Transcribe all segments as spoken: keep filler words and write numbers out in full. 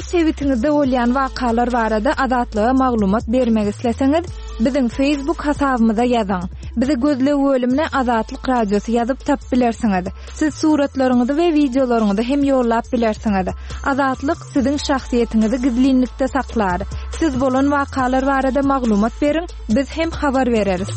Öz sebitiňizde bolýan wakalar barada Azatlyga maglumat bermek isleseňiz, biziň Facebook hasabymyza ýazyň. Bizi gözleg bölümine Azatlyk Radiosy ýazyp tapyp bilersiňiz. Siz suratlaryňyzy we wideolaryňyzy hem ýollap bilersiňiz. Azatlyk siziň şahsyýetiňizi gizlinlikde saklar. Siz bolan wakalar barada maglumat beriň, biz hem habar bereris.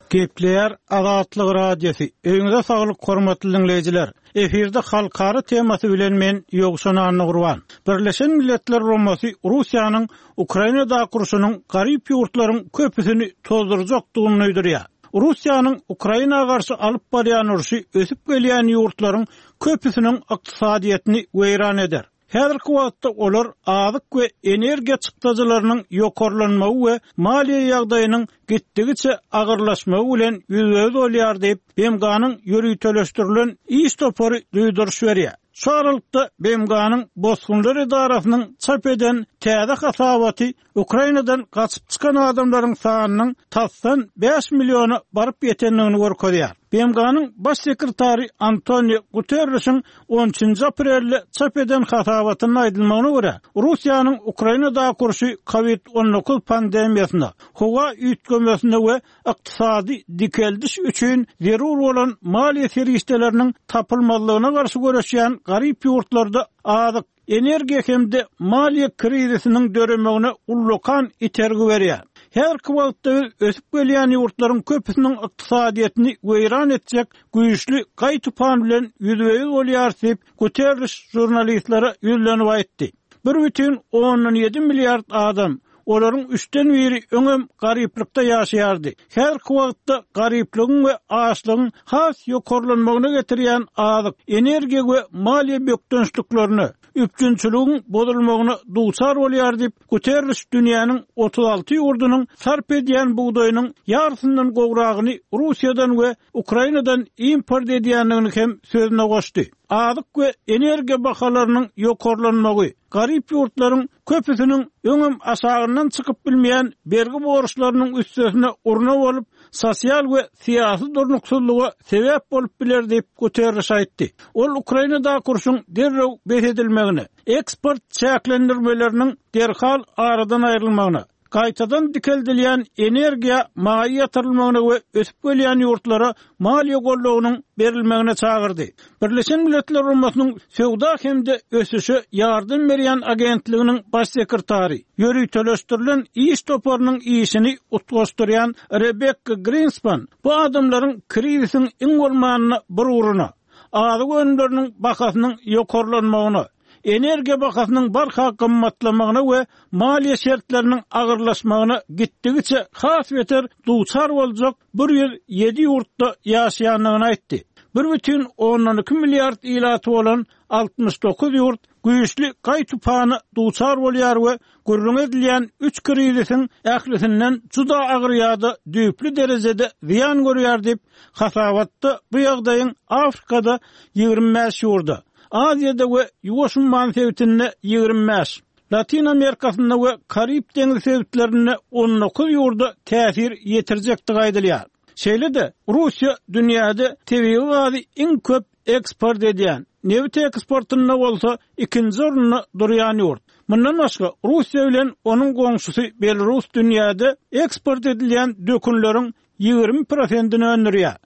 Gepleýär Azatlyk Radiosy. Öýüňize saglyk hormatly dinleýjiler. Efirde halkara temasy bilen men Ýowşan Annagurban. Birleşen Milletler Guramasy Russiýanyň Ukrainadaky urşunyň garyp ýurtlaryň köpüsini tozdurjakdygyny duýdurýar. Russiýanyň Ukraina garşy alyp barýan urşy ösüp gelýän ýurtlaryň köpüsiniň ykdysadyýetini weýran eder. Häzirki wagtda olar azyk we energiýa çykdajylarynyň ýokarlanmagy we maliýe ýagdaýynyň gitdigiçe agyrlaşmagy bilen ýüzbe-ýüz bolýar diýip, B M G-nyň ýöriteleşdirilen iş topary duýduryş berýär. Şu aralykda B M G-nyň Bosgunlar edarasynyň çap eden täze hasabaty Ukrainadan gaçyp çykan adamlaryň sanynyň tasdan bäş milliona baryp ýetendigini görkezýär. B M G-nyň baş sekretary Antonio Guterresiň on üçünji aprelde çap eden hasabatynda aýdylmagyna görä, Russiýanyň Ukrainadaky urşy COVID on dokuz pandemiýasyna, howa üýtgemesine we ykdysady dikeldiş üçin zerur bolan maliýe serişdeleriniň tapylmazlygyna garşy göreşýän garyp ýurtlarda azyk, energiýa hem-de maliýe krizisiniň döremegine ullakan itergi berýär. Häzirki wagtda biz ösüp gelýän ýurtlaryň köpüsiniň ykdysadyýetini weýran etjek güýçli gaý-tupan bilen ýüzbe-ýüz bolýar diýip, Guterres žurnalistlere ýüzlenip aýtdy. Bir bütin ondan ýedi milliard adam, olaryň üçden biri öňem garyplykda ýaşaýardy. Häzirki wagtda garyplygyň we açlygyň has ýokarlanmagyna getirýän azyk, energiýa we maliýe bökdençliklerine, üpjünçiligiň bozulmagyna duçar bolýar diýip, Guterres dünýäniň otuz alty ýurdunyň sarp edýän bugdaýynyň ýarysyndan gowragyny Russiýadan we Ukrainadan import edýändigini hem sözüne goşdy. Azyk we energiýa bahalarynyň ýokarlanmagy, garyp ýurtlaryň köpüsiniň öňem aşagyndan çykyp bilmeýän bergi borçlarynyň üstesine urna bolup, sosial we syýasy durnuksyzlyga sebäp bolup biler diýip Guterres aýtdy. Ol Ukrainadaky urşuň derrew bes edilmegine, eksport çäklendirmeleriniň derhal aradan aýrylmagyna, gaýtadan dikeldilýän energiýa maýa ýatyrylmagyna we ösüp gelýän ýurtlara maliýe goldawynyň berilmegine çagyrdy. Birleşen Milletler Guramasynyň Söwda hem-de ösüşe ýardam berýän agentliginiň baş sekretary, ýöriteleşdirilen iş toparynyň işini utgaşdyrýan Rebekka Greenspan bu adamlaryň krizisiň iň bolmanyna bir ugruna, azyk önümleriniň bahasynyň ýokarlanmagyna, energiýa bahasynyň barha gymmatlamagyna we maliýe şertleriniň agyrlaşmagyna gitdigiçe has beter duçar boljak bir ýüz ýedi ýurtda ýaşaýandygyny aýtdy. Bir bütin ondan iki milliard ilaty bolan altmyş dokuz ýurt güýçli gaý-tupana duçar bolýar we gürrüň edilýän üç krizisiň ählisinden juda agyr ýa-da düýpli derejede zyýan görýär diýip, hasabatda bu ýagdaýyň Afrikada ýigrimi bäş ýurda, Aziýada we Ýuwaş umman sebitinde ýigrimi bäş, Latin Amerikasynda we Karib deňizi sebitlerinde on dokuz ýurda täsir ýetirjekdigi aýdylýar. Şeýle-de Russiýa dünýäde tebigy gazy iň köp eksport edýän, nebit eksportynda bolsa ikinji orunda durýan ýurt. Mundan başga Russiýa bilen onuň goňşusy Belarus dünýäde eksport edilýän dökünleriň ýigrimi prosentini öndürýär.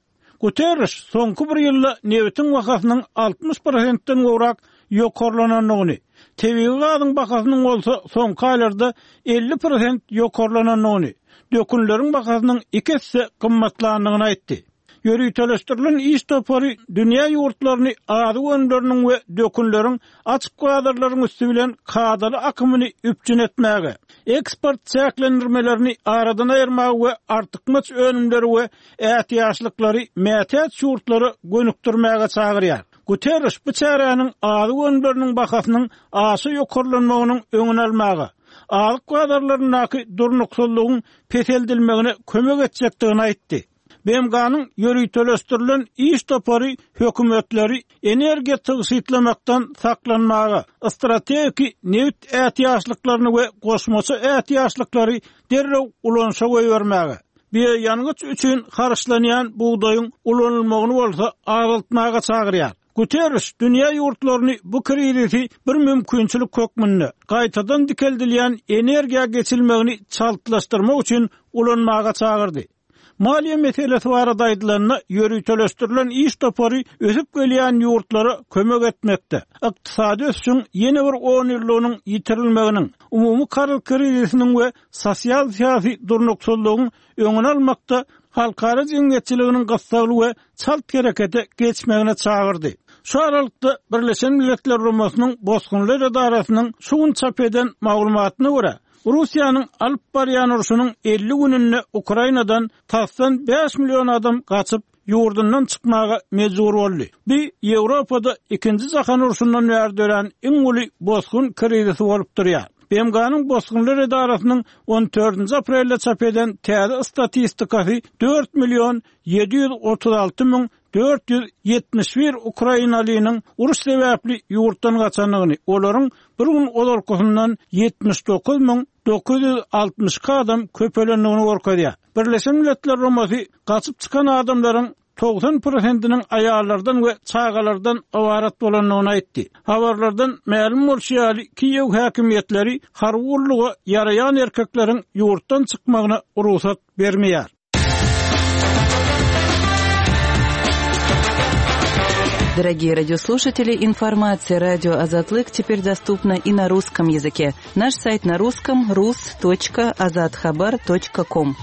Guterres soňky bir ýylda nebitiň bahasynyň altmyş prosentden gowrak ýokarlanandygyny, tebigy gazyň bahasynyň bolsa soňky aýlarda elli prosent ýokarlanandygyny, dökünleriň bahasynyň iki esse gymmatlandygyny aýtdy. Ýöriteleşdirilen iş topary dünýä ýurtlaryny azyk önümleriniň we dökünleriň açyk bazarlaryň üsti bilen kadaly akymyny üpjün etmäge, eksport çäklendirmelerini aradan aýyrmaga we artykmaç önümleri we ätiýaçlyklary mätäç ýurtlara gönükdirmäge çagyrýar. Guterres bu çäräniň azyk önümleriniň bahasynyň aşa ýokarlanmagynyň öňüni almaga, azyk bazarlaryndaky durnuksyzlygyň peseldilmegine kömek etjekdigini aýtdy. B M G-nyň ýöriteleşdirilen iş topary hökümetleri energiýa tygşytlamakdan saklanmaga, strategik nebit ätiýaçlyklaryny we goşmaça ätiýaçlyklary derrew ulanyşa goýbermäge, bioýangyç üçin harçlanýan bugdaýyň ulanylmagyny bolsa azaltmaga çagyrýar. Guterres dünýä ýurtlaryny bu krizisi bir mümkinçilik hökmünde gaýtadan dikeldilýän energiýa geçilmegini çaltlaşdyrmak üçin ulanmaga çagyrdy. Maliýe meselesi barada aýdylanda, ýöriteleşdirilen iş topary ösüp gelýän ýurtlara kömek etmekde, ykdysady ösüşiň ýene bir on ýyllygynyň ýitirilmeginiň, umumy karz krizisiniň we sosial syýasy durnuksyzlygyň öňüni almakda halkara jemgyýetçiliginiň gyssagly we çalt herekete geçmegine çagyrdy. Şu aralykda Birleşen Milletler Guramasynyň Bosgunlar edarasynyň şu gün çap eden maglumatyna görä, Russiýanyň alyp barýan urşunyň elli gününde Ukrainadan tasdan bäş million adam gaçyp, ýurdundan çykmaga mejbur boldy. Bu Ýewropada ikinji jahan urşundan bäri dörän iň uly bosgun krizisi bolup durýar. B M G-nyň Bosgunlar edarasynyň on dördünji aprelde çap eden täze statistikasy dört million ýedi ýüz otuz alty müň dört ýüz ýetmiş bir ukrainalynyň uruş sebäpli ýurtdan gaçandygyny, olaryň bir gün ozalkysyndan ýetmiş dokuz müň dokuz ýüz altmyş iki adam köpelendigini görkezýär. Birleşen Milletler Guramasy gaçyp çykan adamlaryň togsan prosentiniň aýallardan we çagalardan ybarat bolandygyny aýtdy. Habarlardan mälim bolşy ýaly, Kiýew häkimiýetleri harby gulluga ýaraýan erkekleriň ýurtdan çykmagyna rugsat bermeýär. Дорогие радиослушатели, информация радио Азатлык теперь доступна и на русском языке. Наш сайт на русском рус точка азатхабар точка ком.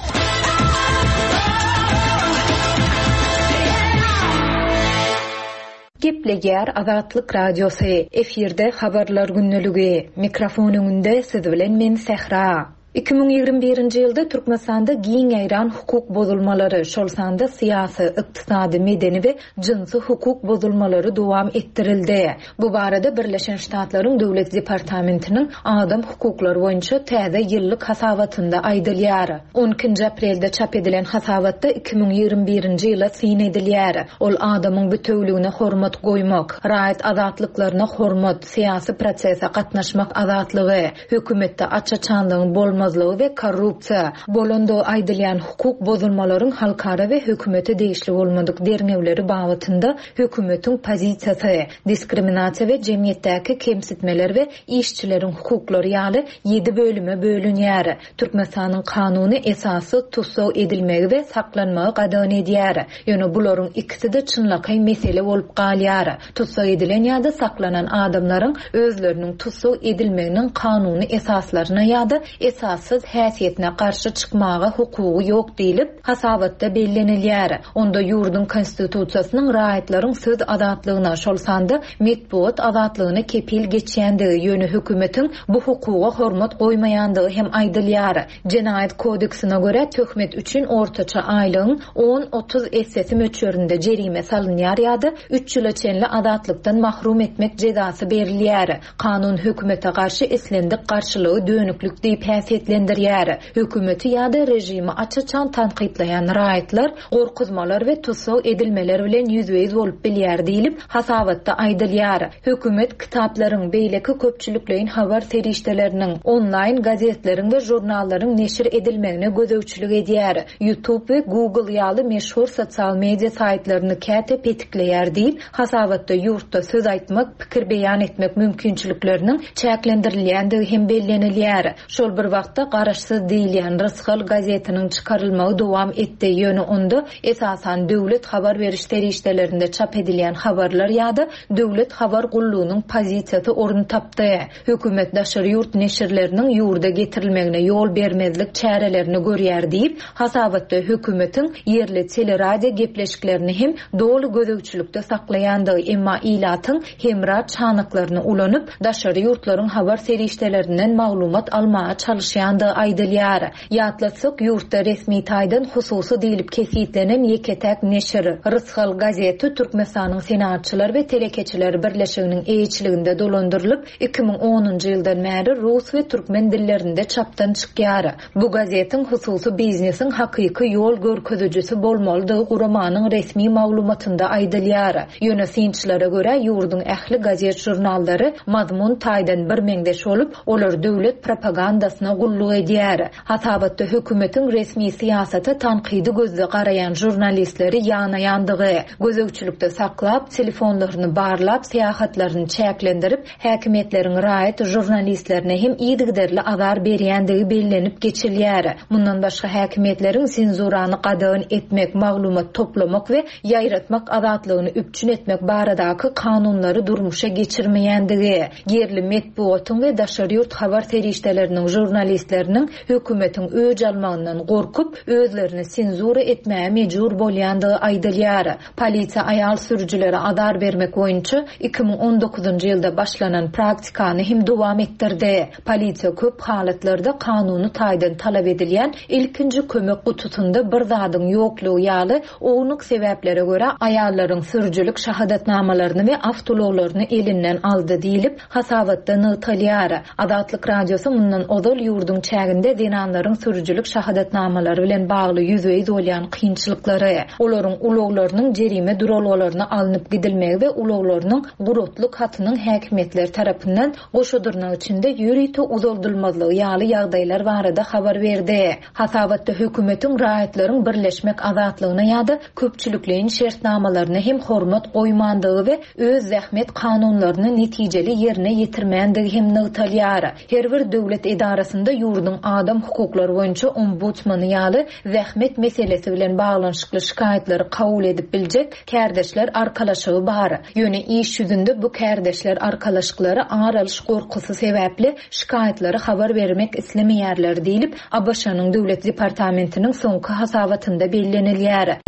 Gepleýär Azatlyk Radiosy. Efirde habarlar günlügi. Mikrofon öňünde siz bilen men Sähra. Iki müň ýigrimi birinji ýylda Türkmenistanda giň ýaýran hukuk bozulmalary, şol sanda syýasy, ykdysady, medeni we jynsy hukuk bozulmalary dowam etdirildi. Bu barada Birleşen Ştatlaryň Döwlet Departamentiniň adam hukuklary boýunça täze ýyllyk hasabatynda aýdylýar. on ikinji aprelde çap edilen hasabatda iki müň ýigrimi birinji ýyla syn edilýär. Ol adamyň bütewligine hormat goýmak, raýat azatlyklaryna hormat, syýasy prosese gatnaşmak azatlygy, hökümetde aç-açanlygyň bolmazlygy we korrupsiýa, bolandygy aýdylýan hukuk bozulmalaryň halkara we hökümete degişli bolmadyk derňewleri babatynda hökümetiň pozisiýasy, diskriminasiýa we jemgyýetdäki kemsitmeler we işçileriň hukuklary ýaly ýedi bölüme bölünýär. Türkmenistanyň kanuny esasy tussag edilmegi we saklanmagy gadagan edýär. Ýöne bularyň ikisi-de çynlakaý mesele bolup galýar. Tussag edilen ýa-da saklanan adamlaryň özleriniň tussag edilmeginiň kanuny esaslaryna ýa-da esassyz häsiýetine garşy çykmaga hukugy ýok diýlip hasabatda bellenilýär. Onda ýurduň konstitusiýasynyň raýatlaryň söz azatlygyna, şol sanda metbugat azatlygyna kepil geçýändigi, ýöne hökümetiň bu hukuga hormat goýmaýandygy hem aýdylýar. Jenaýat kodeksine görä töhmet üçin ortaça aýlygyň on otuz essesi möçberinde jerime salynýar ýa-da üç ýyla çenli azatlykdan mahrum etmek jezasy berilýär. Kanun hökümete garşy islendik garşylygy dönüklük diýip häsiýetlendirýär. Hökümeti ýa-da rejimi aç-açan tankytlaýan raýatlar gorkuzmalar we tussag edilmeler bilen ýüzbe-ýüz bolup bilýär diýlip hasabatda aýdylýar. Hökümet kitaplaryň, beýleki köpçülikleýin habar serişdeleriniň, onlaýn gazetleriň we žurnallaryň neşir edilmegine gözegçilik edýär. YouTube we Google ýaly meşhur sosial media saýtlaryny käte petikleýär diýip hasabatda ýurtda söz aýtmak, pikir beýan etmek mümkinçilikleriniň çäklendirilýändigi hem bellenilýär. Şol bir wagtda garaşsyz diýilýän Rysgal gazetiniň çykarylmagy dowam etdi. Ýöne onda esasan döwlet habar beriş serişdelerinde çap edilýän habarlar ýa-da döwlet habar gullugynyň pozisiýasy orun tapdy. Hökümet daşary ýurt neşirleriniň ýurda getirilmegine ýol bermezlik çärelerini görýär diýip, hasabatda hökümetiň ýerli teleradio gepleşiklerini hem doly gözegçilikde saklaýandygy, emma ilatyň hemra çanaklaryny ulanyp, daşary ýurtlaryň habar serişdelerinden maglumat almaga çalışýandygy aýdylýar. Ýatlatsak, ýurtda resmi taýdan hususy diýlip kesitlenen ýeke-täk neşir Rysgal gazeti Türkmenistanyň Senatçylar we Telekeçiler Birleşiginiň eýeçiliginde dolandyrylyp, iki müň onunjy ýyldan bäri rus we türkmen dillerinde çapdan çykýar. Bu gazetiň hususy biznesiň hakyky ýol görkezijisi bolmalydygy guramanyň resmi maglumatynda aýdylýar. Ýöne synçylara görä ýurduň ähli gazet žurnallary mazmun taýdan bir meňzeş bolup, olar döwlet propagandasyna gulluk gulluk edýär. Hasabatda hökümetiň resmi syýasata tankydy gözde garaýan žurnalistleri ýanaýandygy, gözegçilikde saklap, telefonlaryny barlap, syýahatlaryny çäklendirip, häkimiýetleriň raýat žurnalistlerine hem yzygiderli azar berýändigi bellenip geçilýär. Mundan başga häkimiýetleriň senzurany gadagan etmek, maglumat toplamak we ýaýratmak azatlygyny üpjün etmek baradaky kanunlary durmuşa geçirmeýändigi, ýerli metbugatyň we daşary ýurt habar serişdeleriniň žurnalistleriniň hökümetiň öç almagyndan gorkup, özlerini senzura etmäge mejbur bolýandygy aýdylýar. Polisiýa aýal sürüjilere azar bermek boýunça iki müň on dokuzynjy ýylda başlanan praktikany hem dowam etdirdi. Polisiýa köp halatlarda kanuny taýdan talap edilýän ilkinji kömek gutusynda bir zadyň ýoklugy ýaly ownuk sebäplere görä aýallaryň sürüjilik şahadatnamalaryny we awtoulaglaryny elinden aldy diýlip hasabatda nygtalýar. Azatlyk Radiosy mundan ozal ýurduň çäginde zenanlaryň sürüjilik şahadatnamalary bilen bagly ýüzbe-ýüz bolýan kynçylyklary, olaryň ulaglarynyň jerime duralgalaryna alnyp gidilmegi we ulaglarynyň guratlyk hatynyň häkimiýetler tarapyndan goşadyrnak içinde ýörite uzaldylmazlygy ýaly ýagdaýlar barada habar berdi. Hasabatda hökümetiň raýatlaryň birleşmek azatlygyna ýa-da köpçülikleýin şertnamalaryna hem hormat goýmandygy we öz zähmet kanunlaryny netijeli ýerine ýetirmändigi hem nygtalýar. Her bir döwlet edarasynda ýurduň adam hukuklary boýunça ombudsmany ýaly zähmet meselesi bilen baglanyşykly şikaýatlary kabul edip biljek kärdeşler arkalaşygy bar. Ýöne iş ýüzünde bu kärdeşler arkalaşyklary ar alyş gorkusy sebäpli şikaýatlary habar bermek islemeýärler diýlip, A B Ş-nyň Döwlet Departamentiniň soňky hasabatynda bellenilýär.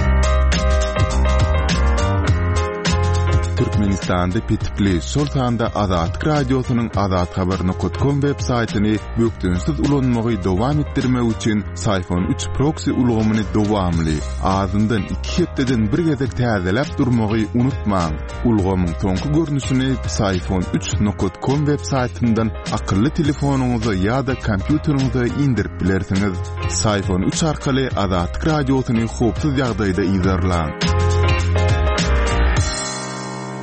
Türkmenistanda petikli, şol sanda Azatlyk Radiosynyň azathabar nokta com web saýtyny bökdençsiz ulanmagy dowam etdirmek üçin Syfon üç proxy ulgamyny dowamly, azyndan iki hepdeden bir gezek täzeläp durmagy unutmaň. Ulgamyň soňky görnüşini Syfon üç nokta com web saýtyndan akylly telefonyňyza ýa-da kompýuteriňize indirip bilersiňiz. Syfon üç arkaly Azatlyk Radiosyny howpsuz ýagdaýda yzarlaň.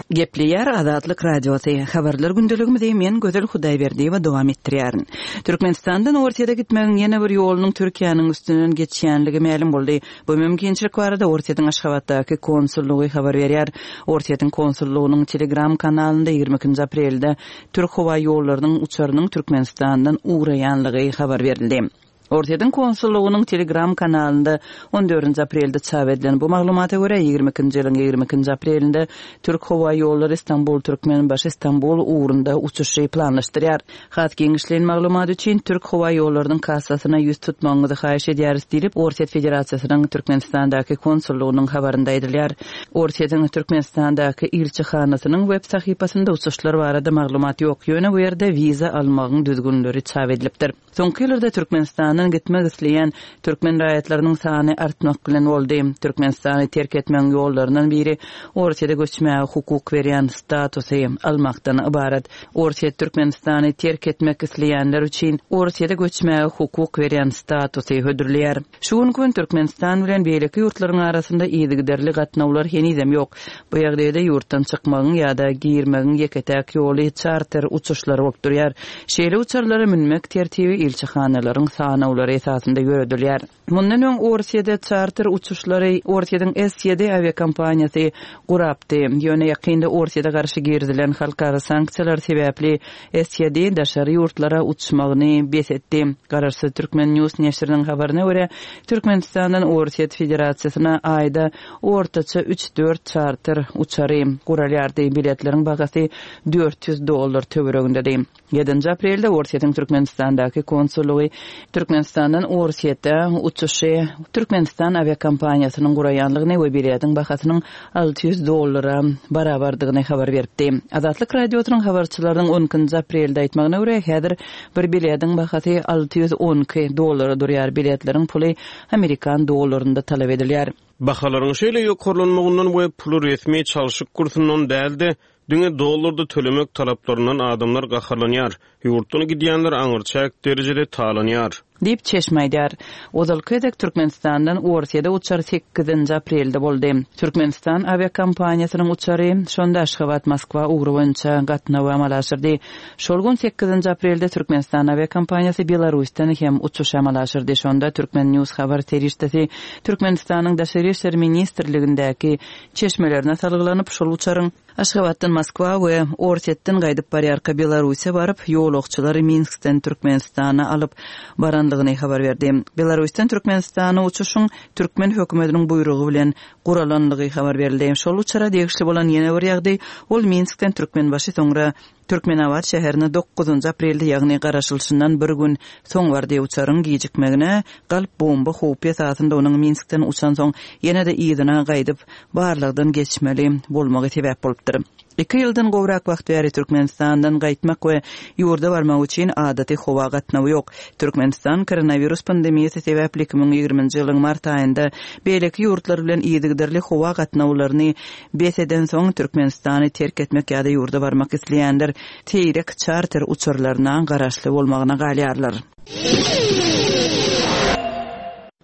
Gepleýär Azatlyk Radiosy. Habarlar gündeligimizi men Gözel Hudaýberdiýewa dowam etdirýärin. Türkmenistandan Orsýete gitmegiň ýene bir ýolunyň Türkiýäniň üstünden geçýänligi mälim boldy. Bu mümkinçilik barada Orsýetiň Aşgabatdaky konsullygy habar berýär. Orsýetiň konsullygynyň Telegram kanalynda ýigrimi ikinji aprelde Türk howa ýollarynyň uçarynyň Türkmenistandan ugraýanlygy habar berildi. Orsýetiň konsullygynyň Telegram kanalynda on dördünji aprelde çap edilen bu maglumata görä ýigrimi ikinji ýylyň ýigrimi ikinji aprelinde Türk howa ýollary Istanbul Türkmenbaşy Istanbul ugrunda uçuşy planlaşdyrýar. Has giňişleýin maglumat üçin Türk howa ýollarynyň kassasyna ýüz tutmagyňyzy haýyş edýäris diýlip Orsýet Federasiýasynyň Türkmenistandaky konsullygynyň habarynda aýdylýar. Orsýetiň Türkmenistandaky ilçihanasynyň web sahypasynda uçuşlar barada maglumat ýok. Ýöne bu ýerde wiza almagyň düzgünleri çap edilipdir. Soňky ýyllarda Türkmenistandan gitmek isleýän türkmen raýatlarynyň sany artmak bilen boldy. Türkmenistany terk etmegiň ýollaryndan biri Orsýete göçmäge hukuk berýän statusy almakdan ybarat. Orsýet Türkmenistany terk etmek isleýänler üçin Orsýete göçmäge hukuk berýän statusy hödürleýär. Şu gün gün Türkmenistan bilen beýleki ýurtlaryň arasynda yzygiderli gatnawlar henizem ýok. Bu ýagdaýda ýurtdan çykmagyň ýa-da girmegiň ýeke-täk ýoly çarter uçuşlary bolup durýar. Şeýle uçarlara münmek tertibi ilçihanalaryň sanawlary esasynda ýöredilýär. Mundan öň Orsýede çarter uçuşlary Orsýediň S ýedi awiakompaniýasy gurapdy. Ýöne ýakynda Orsýede garşy girizilen halkara sanksiýalar sebäpli S ýedi daşary ýurtlara uçmagyny bes etdi. Garaşsyz Türkmen News neşiriniň habaryna görä Türkmenistandan Orsýet Federasiýasyna aýda ortaça üç dört çarter uçary guralýardy. Biletleriň bahasy dört ýüz dollar töweregindedi. Ýedinji aprelde Orsýetiň Türkmenistandaky konsullygy Türkmenistandan Orsýete uçuşy Türkmenistan awiakompaniýasynyň guraýanlygyny we biletiň bahasynyň alty ýüz dollara barabardygyny habar beripdi. Azatlyk Radiosynyň habarçylarynyň on ikinji aprelde aýtmagyna görä häzir bir biletiň bahasy alty ýüz on iki dollara durýar. Biletleriň puly Amerikan dollarynda talap edilýär. Bahalaryň şeýle ýokarlanmagyndan we puly resmi çalşyk kursundan däl-de, diňe dollarda tölemek talaplaryndan adamlar gaharlanýar. Ýurtdan gidýänler aňyrçäk derejede talanýar. Diýip, çeşme aýdýar. Ozalky gezek Türkmenistandan Orsýede uçar sekizinji aprelde boldy. Türkmenistan awiakompaniýasynyň uçary şonda Aşgabat-Moskwa ugry boýunça gatnawy amala aşyrdy. Şol gün sekizinji aprelde Türkmenistan awiakompaniýasy Belarusdan hem uçuş amala aşyrdy. Şonda Turkmen News habar serişdesi Türkmenistanyň Daşary işler ministrligindäki çeşmelerine salgylanyp, şol uçaryň Aşgabatdan Moskwa we Orsýetden gaýdyp barýarka Belarusa baryp, ýolagçylary Minskden Türkmenistana alyp barandygyny habar berdi. Belarusdan Türkmenistana uçuşyň türkmen hökümetiniň buýrugy bilen guralandygy habar berildi. Şol uçara degişli bolan ýene bir ýagdaý, ol Minskden Türkmenbaşy soňra Türkmenabat şäherine dokuzynjy aprelde, ýagny garaşylyşyndan bir gün soň bardy. Uçaryň gijikmegine galp bomba howpy esasynda onuň Minskden uçansoň ýene-de yzyna gaýdyp barlagdan geçmeli bolmagy sebäp bolupdyr. Iki ýyldan gowrak wagt bäri Türkmenistandan gaýtmak we ýurda barmak üçin adaty howa gatnawy ýok. Türkmenistan koronawirus pandemiýasy sebäpli iki müň ýigriminji ýylyň mart aýynda beýleki ýurtlar bilen yzygiderli howa gatnawlaryny bes edensoň Türkmenistany terk etmek ýa-da ýurda barmak isleýänler seýrek çarter uçarlaryna garaşly bolmagyna galýarlar.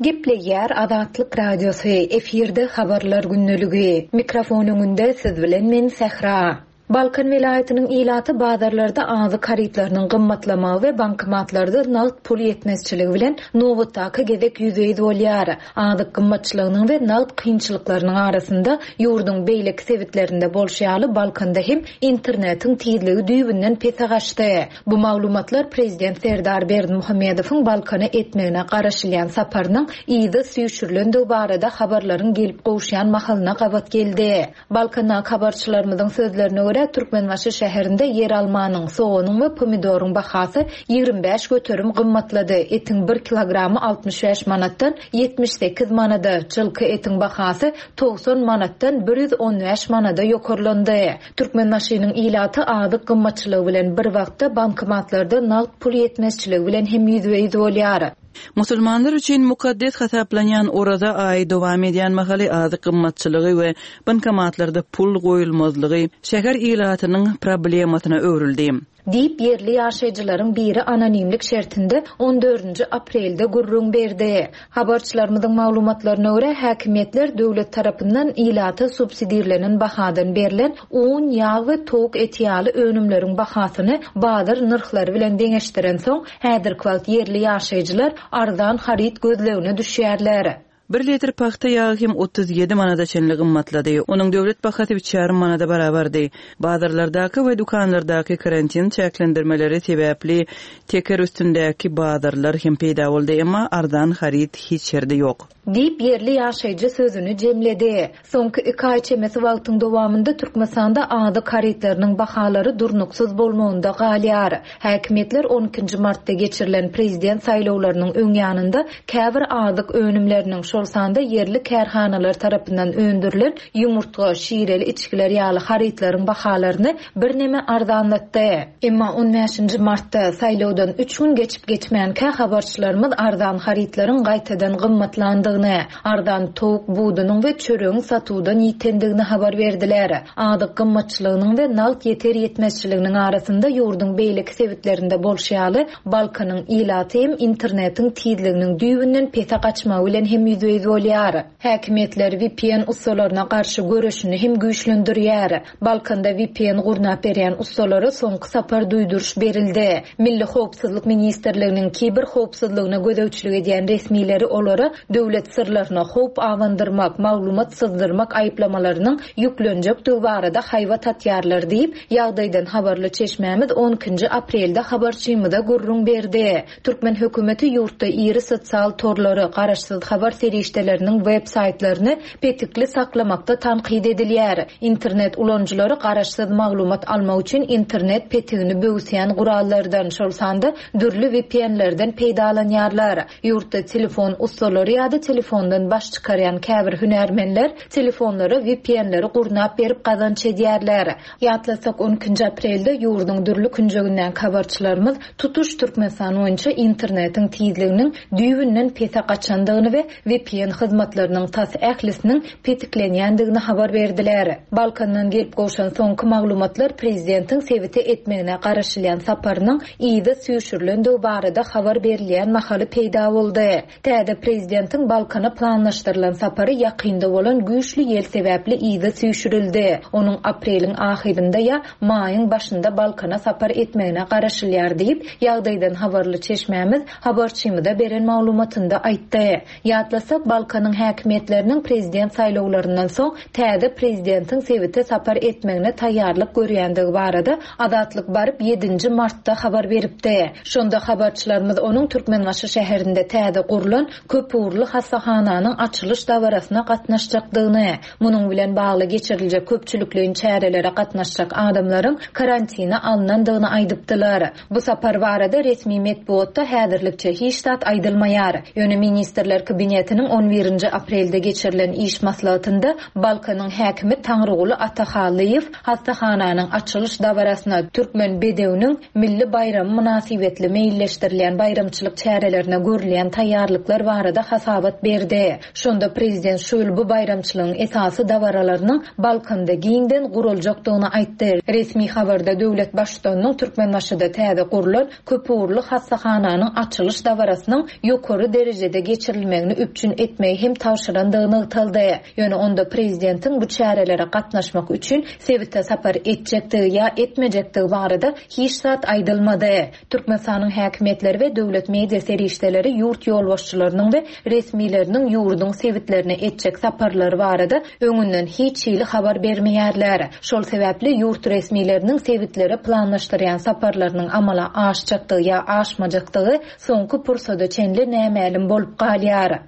Gepleýär Azatlyk Radiosy, efirde habarlar gündeligi. Mikrofon öňünde siz bilen men Sähra. Balkan welaýatynyň ilaty bazarlarda azyk harytlarynyň gymmatlamagy we bankomatlarda nagt pul ýetmezçiligi bilen nobatdaky gezek ýüzbe-ýüz bolýar. Azyk gymmatçylygynyň we nagt kynçylyklarynyň arasynda ýurduň beýleki sebitlerinde bolşy ýaly Balkanda hem internetiň tizligi düýbünden pese gaçdy. Bu maglumatlar Prezident Serdar Berdimuhamedowyň Balkana etmegine garaşylýan saparynyň yzy süýşürilendigi barada habarlaryň gelip gowuşýan mahalyna gabat geldi. Balkandaky habarçylarymyzyň sözlerine görä Türkmenbaşy şäherinde ýer almanyň, soganyň we pomidoryň bahasy ýigrimi bäş göterim gymmatlady. Etiň bir kilogramy altmyş bäş manatdan ýetmiş sekiz manada, çylky etiň bahasy togsan manatdan bir ýüz on bäş manada ýokarlandy. Türkmenbaşynyň ilaty azyk gymmatçylygy bilen bir wagtda bankomatlarda nagt pul ýetmezçiligi bilen hem ýüzbe-ýüz bolýar. Musulmanlar üçin mukaddes hasaplanýan Oraza aýy dowam edýän mahaly azyk gymmatçylygy we bankomatlarda pul goýulmazlygy şäher ilatynyň problemasyna öwrüldi. Diýip ýerli ýaşaýjylaryň biri anonimlik şertinde on dördünji aprelde gürrüň berdi. Habarçylarymyzyň maglumatlaryna görä häkimiýetler döwlet tarapyndan ilata subsidirlenen bahadan berlen un, ýag we towuk eti ýaly önümleriň bahasyny bazar nyrhlary bilen deňeşdiren soň häzirki wagt ýerli ýaşaýjylar arzan haryt gözlegine düşýärler. Bir litr pagta ýagy hem otuz ýedi manada çenli gymmatlady. Onuň döwlet bahasy üç ýarym manada barabardy. Bazarlardaky we dükanlardaky karantin çäklendirmeleri sebäpli teker üstündäki bazarlar hem peýda boldy, emma arzan haryt hiç ýerde ýok. Diýip ýerli ýaşaýjy sözüni jemledi. Soňky iki aý çemesi wagtyň dowamynda Türkmenistanda azyk harytlarynyň bahalary durnuksyz bolmagynda galýar. Häkimiýetler on ikinji martda geçirilen prezident saýlawlarynyň öň ýanynda käbir azyk önümleriniň, şol sanda ýerli kärhanalar tarapyndan öndürilen ýumurtga, şireli içgiler ýaly harytlaryň bahalaryny birneme arzanlatdy. Emma on bäşinji martda saýlawdan üç gün geçip geçmänkä habarçylarymyz arzan harytlaryň gaýtadan gymmatlandygyny, arzan towuk budunyň we çöregiň satuwdan ýitendigini habar berdiler. Azyk gymmatçylygynyň we nagt ýeter ýetmezçiliginiň arasynda ýurduň beýleki sebitlerinde bolşy ýaly Balkanyň ilaty hem internetiň tizliginiň düýbünden pese gaçmagy bilen hem ýüzbe-ýüz bolýar. Häkimiýetler V P N ussalaryna garşy göreşini hem güýçlendirýär. Balkanda V P N gurnap berýän ussalara soňky sapar duýduryş berildi. Milli Howpsuzlyk Ministrliginiň kiber howpsuzlygyna gözegçilik edýän resmileri olara döwlet syrlaryna howp awandyrmak, maglumat syzdyrmak aýyplamalarynyň ýüklenjekdigi barada haýbat atýarlar diýip, ýagdaýdan habarly çeşmämiz on ikinji aprelde habarçymyza gürrüň berdi. Türkmen hökümeti ýurtda iri sosial torlary, garaşsyz habar serişdeleriniň web saýtlaryny petikli saklamakda tankyt edilýär. Internet ulanyjylary garaşsyz maglumat almak üçin internet petigini böwsýän gurallardan, şol sanda dürli V P N-lerden peýdalanýarlar. Ýurtda telefon ussalary ýa-da telefondan baş çykarýan käbir hünärmenler telefonlara V P N-leri gurnap berip gazanç edýärler. Ýatlasak on ikinji aprelde ýurduň dürli künjeginden habarçylarymyz tutuş Türkmenistan boýunça internetiň tizliginiň düýbünden pese gaçandygyny we V V P N hyzmatlarynyň tas ählisiniň petiklenýändigini habar berdiler. Balkandan gelip gowşan soňky maglumatlar prezidentiň sebite etmegine garaşylýan saparynyň yza süýşürilendigi barada habar berilýän mahaly peýda boldy. Täze prezidentiň Balkana planlaşdyrylan sapary ýakynda bolan güýçli ýel sebäpli yza süýşürildi. Onuň apreliň ahyrynda ýa maýyň başynda Balkana sapar etmegine garaşylýar diýip, ýagdaýdan habarly çeşmämiz habarçymyza beren maglumatynda aýtdy. Ýatlasak, Balkanyň häkimiýetleriniň prezident saýlawlaryndan soň täze prezidentiň sebite sapar etmegine taýýarlyk görýändigi barada Azatlyk baryp ýedinji martda habar beripdi. Şonda habarçylarymyz onuň Türkmenbaşy şäherinde täze gurlan köpugurly hassahananyň açylyş dabarasyna gatnaşjakdygyny, munuň bilen bagly geçiriljek köpçülikleýin çärelere gatnaşjak adamlaryň karantina alnandygyny aýdypdylar. Bu sapar barada resmi metbugatda häzirlikçe hiç zat aýdylmaýar. Ýöne Ministrler Kabinetiniň on birinji aprelde geçirilen iş maslahatynda Balkanyň häkimi Taňryguly Atahallyýew hassahananyň açylyş dabarasyna Türkmen bedewiniň milli baýramy mynasybetli meýilleşdirilýän baýramçylyk çärelerine görülýän taýýarlyklar barada hasabat berdi. Şonda prezident şu ýyl bu baýramçylygyň esasy dabaralarynyň Balkanda giňden guruljakdygyny aýtdy. Resmi habarda döwlet baştutanynyň Türkmenbaşyda täze gurlan köpugurly hassahananyň açylyş dabarasynyň ýokary derejede geçirilmegini üpjün etmegi hem tabşyrandygy nygtaldy. Ýöne onda prezidentiň bu çärelere gatnaşmak üçin sebite sapar etjekdigi ýa etmejekdigi barada hiç zat aýdylmady. Türkmenistanyň häkimiýetleri we döwlet media serişdeleri ýurt ýolbaşçylarynyň we resmileriniň ýurduň sebitlerine etjek saparlary barada öňünden hiç hili habar bermeýärler. Şol sebäpli ýurt resmileriniň sebitlere planlaşdyrýan saparlarynyň amala aşjakdygy ýa aşmajakdygy soňky pursada çenli nämälim bolup galýar.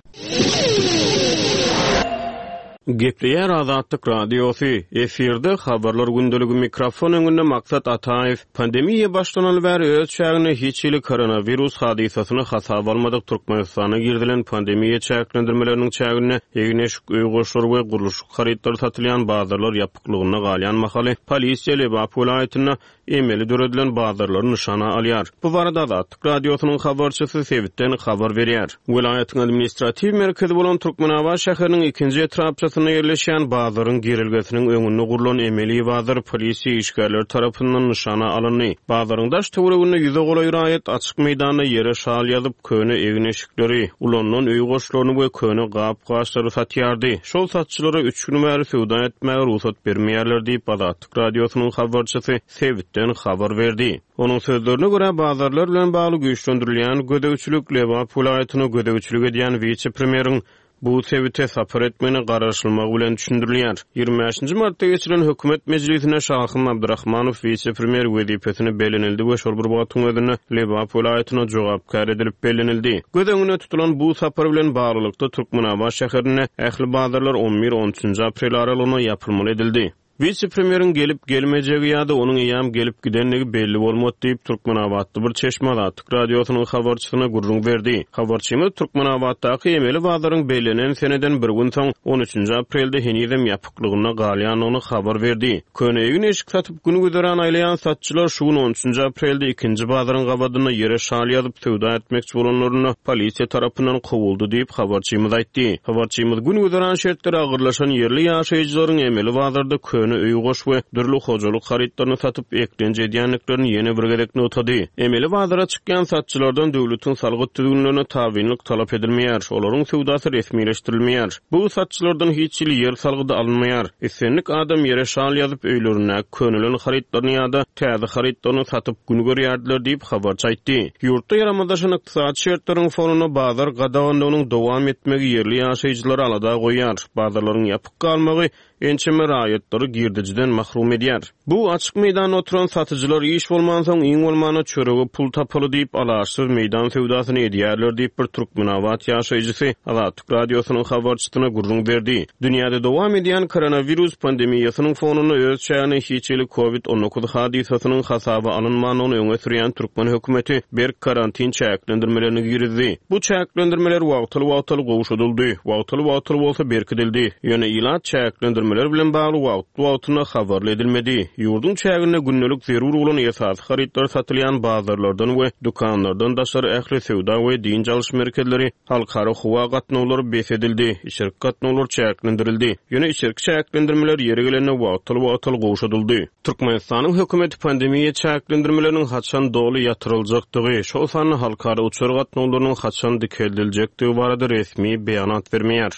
Gepleýär Azatlyk Radiosy. Efirde habarlar gündeligi, mikrofon öňünde Maksat Ataýew. Pandemiýa başlanaly bäri öz çäginde hiç hili koronawirus hadysasyny hasaba almadyk Türkmenistana girizilen pandemiýa çäklendirmeleriniň çäginde egin-eşik, öý goşlary we gurluşyk harytlary satylýan bazarlar ýapyklygynda galýan mahaly polisiýa Lebap welaýatynda emeli döredilen bazarlary nyşana alýar. Bu barada Azatlyk Radiosynyň habarçysy sebitden habar berýär. Welaýatyň administratiw merkezi bolan Türkmenabat şäheriniň ikinji etrapçasynda ýerleşýän bazaryň girelgesiniň öňünde gurlan emeli bazar polisiýa işgärleri tarapyndan nyşana alyndy. Bazaryň daş töwereginde ýüze golaý raýat açyk meýdanda ýere şal ýazyp, köne egin-eşikleri, ulanylan öý goşlaryny we köne gap-gaçlary satýardy. Şol satçylara üç gün bäri söwda etmäge rugsat bermeýärler diýip, Azatlyk Radiosynyň habarçysy sebitden habar berdi. Onuň sözlerine görä, bazarlar bilen bagly güýçlendirilýän gözegçilik Lebap welaýatyna gözegçilik edýän wise-premýeriň bu sebite sapar etmegine garaşylmagy bilen düşündirilýär. Ýigrimi bäşinji martda geçirilen hökümet mejlisinde Şahym Abdurahmanow wise-premýer wezipesine bellenildi we şol bir wagtyň özünde Lebap welaýatyna jogapkär edilip bellenildi. Göz öňünde tutulan bu sapar bilen baglylykda Türkmenabat şäherinde ähli bazarlar on bir on üçünji aprel aralygynda ýapylmaly edildi. Wise-premýeriň gelip gelmejegi ýa-da onuň eýýäm gelip gidendigi belli bolmady diýip, Türkmenabatly bir çeşme Azatlyk Radiosynyň habarçysyna gürrüň berdi. Habarçymyz Türkmenabatdaky emeli bazaryň bellenen seneden bir gün soň on üçünji aprelde henizem ýapyklygynda galýandygyny habar berdi. Köne egin-eşik satyp gün güzeran aýlaýan satçylar şu gün on üçünji aprelde ikinji bazaryň gabadynda ýere şal ýazyp söwda etmekçi bolanlarynda polisiýa tarapyndan kowuldy diýip, habarçymyz aýtdy. Habarçymyz gün güzeran şertleri agyrlaşan ýerli ýaşaýjylaryň emeli bazarda köne öý goş we dürli hojalyk harytlaryny satyp eklenç edýändiklerini ýene bir gezek nygtady. Emeli bazara çykýan satçylardan döwletiň salgyt düzgünlerine tabynlyk talap edilmeýär. Olaryň söwdasy resmileşdirilmeýär. Bu satçylardan hiç hili ýer salgydy alynmaýar. Islendik adam ýere şal ýazyp öýlerindäki könelen harytlaryny ýa-da täze harytlaryny satyp gün görýärdiler diýip habarçy aýtdy. Ýurtda ýaramazlaşan ykdysady şertleriň fonunda bazar gadaganlygynyň dowam etmegi ýerli ýaşaýjylary alada goýýar. Bazarlaryň ýapyk galmagy ençeme raýatlary girdejiden mahrum edýär. Bu açyk meýdanda oturan satyjylar iş bolmansoň iň bolmanda çörege pul tapaly diýip alaçsyz meýdan söwdasyny edýärler diýip bir Türkmenabat ýaşaýjysy Azatlyk Radiosynyň habarçysyna gürrüň berdi. Dünýäde dowam edýän koronawirus pandemiýasynyň fonunda öz çägine hiç hili COVID on dokuz hadysasynyň hasaba alynmandygyny öňe sürýän türkmen hökümeti berk karantin çäklendirmelerini girizdi. Bu çäklendirmeler wagtal-wagtal gowşadyldy, wagtal-wagtal bolsa berkidildi. Ýöne ilat çäklendirmeleriň çäklendirmeler bilen bagly wagtly-wagtynda habarly edilmedi. Ýurduň çäginde gündelik zerur bolan esasy harytlar satylýan bazarlardan we dükanlardan daşary ähli söwda we dynç alyş merkezleri, halkara howa gatnawlary bes edildi, içerki gatnawlar çäklendirildi. Ýöne içerki çäklendirmeler ýeri gelende wagtal-wagtal gowşadyldy. Türkmenistanyň hökümeti pandemiýa çäklendirmeleriniň haçan doly ýatyryljakdygy, şol sanda halkara uçar gatnawlarynyň haçan dikeldiljekdigi barada resmi beýanat bermeýär.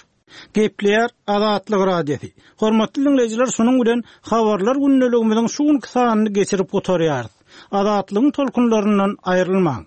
Gepleýär Azatlyk Radiosy. Hormatly diňleýjiler, şunuň bilen habarlar gündeligimiziň şu günki sanyny geçirip gutarýarys. Azatlygyň tolkunlaryndan aýrylmaň.